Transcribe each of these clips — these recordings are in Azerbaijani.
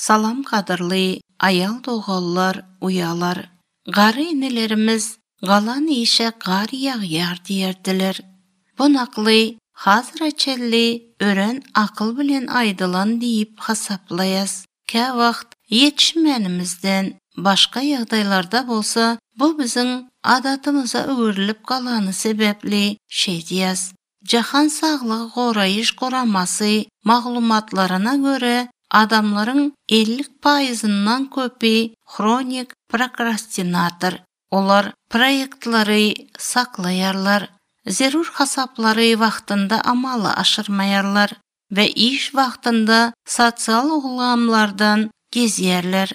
Salam qadırlı ayal doğallar, uyalar. Gari inelerimiz galan işe gari yağyar diyerdiler. Bunaklı, hazreçelli, ören akıl bilen aydılan deyip hasaplayaz. Ke vaqt yetişmenimizden başka yağdaylarda bolsa, bu bizim adatımıza öğürilip kalanı sebepli şey diyaz. Jahan sağlığı qorayış qoraması mağlumatlarına göre adamların 50%'dan köpi kronik prokrastinator. Olar proyektleri saklayarlar, zerur hasapları vaxtında amala aşırmayarlar ve iş vaxtında sosyal uğulamlardan geziyerler.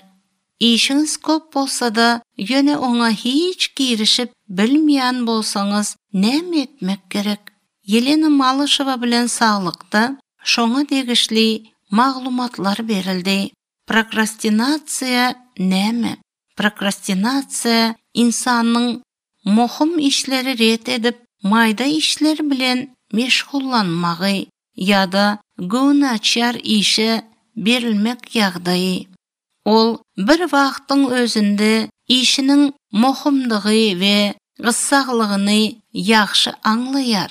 İşiniz köp bolsa da yöne ona hiç girişip bilmeyen bolsanız nem etmek gerek. Yelena Malышева bilen sağlıkta şoňa degişli maglumatlar berildi. Prokrastinatsiya näme? Prokrastinatsiya insanyň muhim işleri ret edip mayda işler bilen meşgullanmagy ýa-da gönaçar işe berilmek ýagdaýy. Ol bir wagtyň özünde işiniň muhimdigi we gyssalygyny ýaxşy aňlaýar.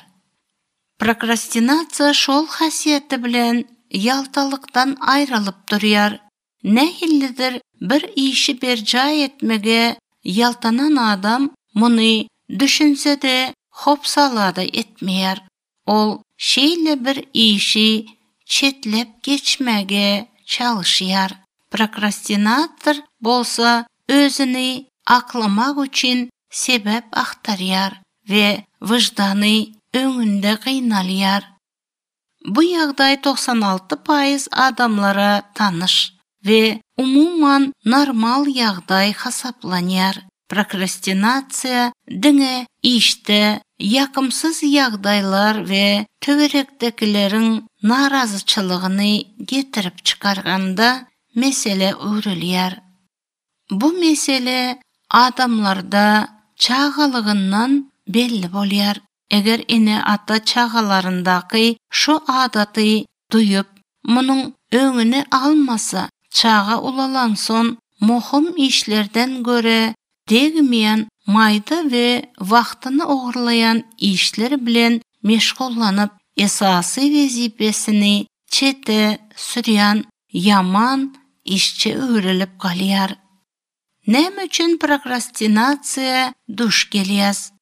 Prokrastinatsiya şol hasiyeti bilen yaltalykdan aýrylyp durýar. Nähillidir bir işi berja etmege yaltanan adam muny düşünsede hopsalada etmeýär. Ol şeýle bir işi çetlep geçmege çalışýar. Prokrastinator bolsa özüni aklamak üçin sebep aktarýar we wyjdany öňünde gynalýar. Bu ýagdaý 96% adamlara tanış ve umuman normal ýagdaý hasaplanýar. Prokrastinatsiya diňe işte ýakymsyz ýagdaýlar we töwerekdekilerin narazyçylygyny getirip çykarganda mesele öwrelýär. Bu mesele adamlarda çağalygyndan belli bolýar. Eger ene ata çağalarındaky şu adaty duyup, munyň öňüne almasa, çağa ulalanson muhim işlerden göre degmeýän mayda we wagtyny ogurlayan işler bilen meşgullanyp esasy wezipesini çete sürýän yaman işçi öwrelip galýar. Näme üçin prokrastinatsiya duş gelýär?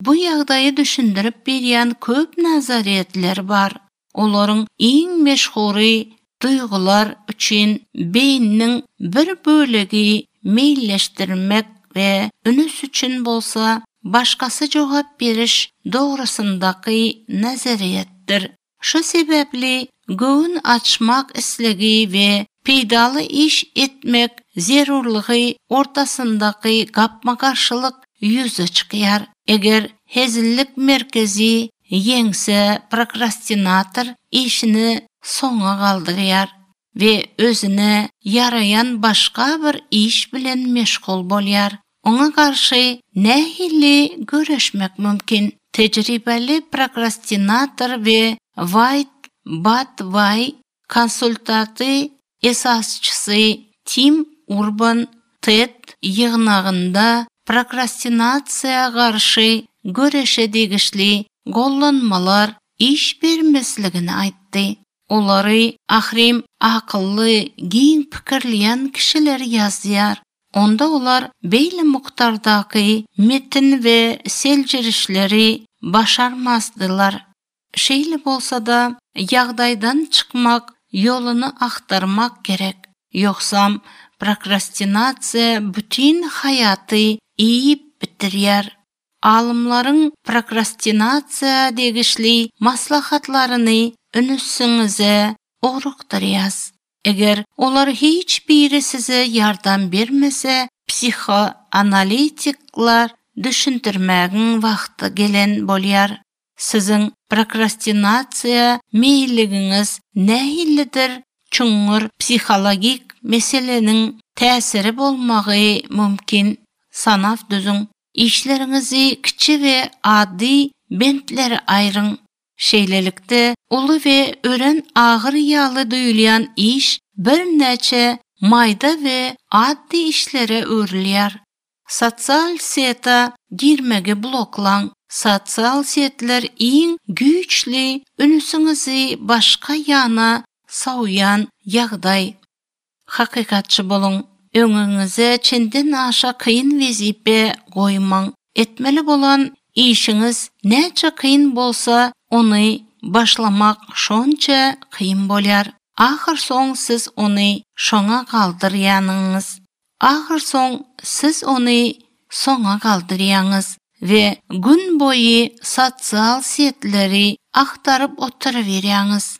Bu ýagdaýy düşündirip berýän köp nazaretler bar. Olaryň iň meşhury duygular üçin beýniň bir bölegi meýilleşdirmek we ünüs üçin bolsa başgasy jogap beriş dogrusyndaky nazariýetdir. Şu sebepli göwün açmak islegi we peýdaly iş etmek zerurlygy ortasyndaky gapma-garşylyk ýüze çykýar. Eger hezillik merkezi ýeňse prokrastinator işini soňa galdyrýar we özüne yarayan başga bir iş bilen meşgul bolýar. Oňa garşy nähili göreşmek mümkin. Tejribeli prokrastinator we White konsultaty esasçysy Tim Urban TED ýygnagynda prokrastinatsiýa garşy göreşe degişli gollanmalar iş bermesligini aýtdy. Olary ahrim akylly, giň pikirleýän kişiler ýazýar. Onda olar beýle muktardaky metin we seljirişleri başarmazdylar. Şeýle bolsa da ýagdaýdan çykmak ýoluny aktarmak gerek. Ýoksam prokrastinatsiýa bütün hayaty iýip bitirýär. Alımlaryň prokrastinatsiýa degişli maslahatlaryny önüsüňize orukdurýas. Eger olar hiç biri size yardım bermese, psikoanalitiklar düşündirmägiň wagty gelen bolýar. Siziň prokrastinatsiýa meýilligiňiz nähillidir? Çuňur psikologik meseleniň täsiri bolmagy mümkin. Sanaf düzüň. İşlerinizi kiçi we addy bentlere aýryň. Şeýlelikde uly we ören agyr ýaly duýulýan iş bir näçe mayda we addi işlere örilýär. Sosial seta girmege bloklan. Sosial setler iň güýçli ünüsüňizi başga ýana saýan ýagdaý. Hakykatçy bolun. Öňüňize çenden aşa kıyın wezipe goýmaň. Etmeli bolan işiňiz näçe kıyın bolsa, ony başlamak şonça kıyın bolýar. Ahir soň siz ony şoňa galdyrýanyňyz. Ahir soň siz ony soňa galdyrýanyňyz we gün boyu sosial setleri aktarıp oturuverýäňiz.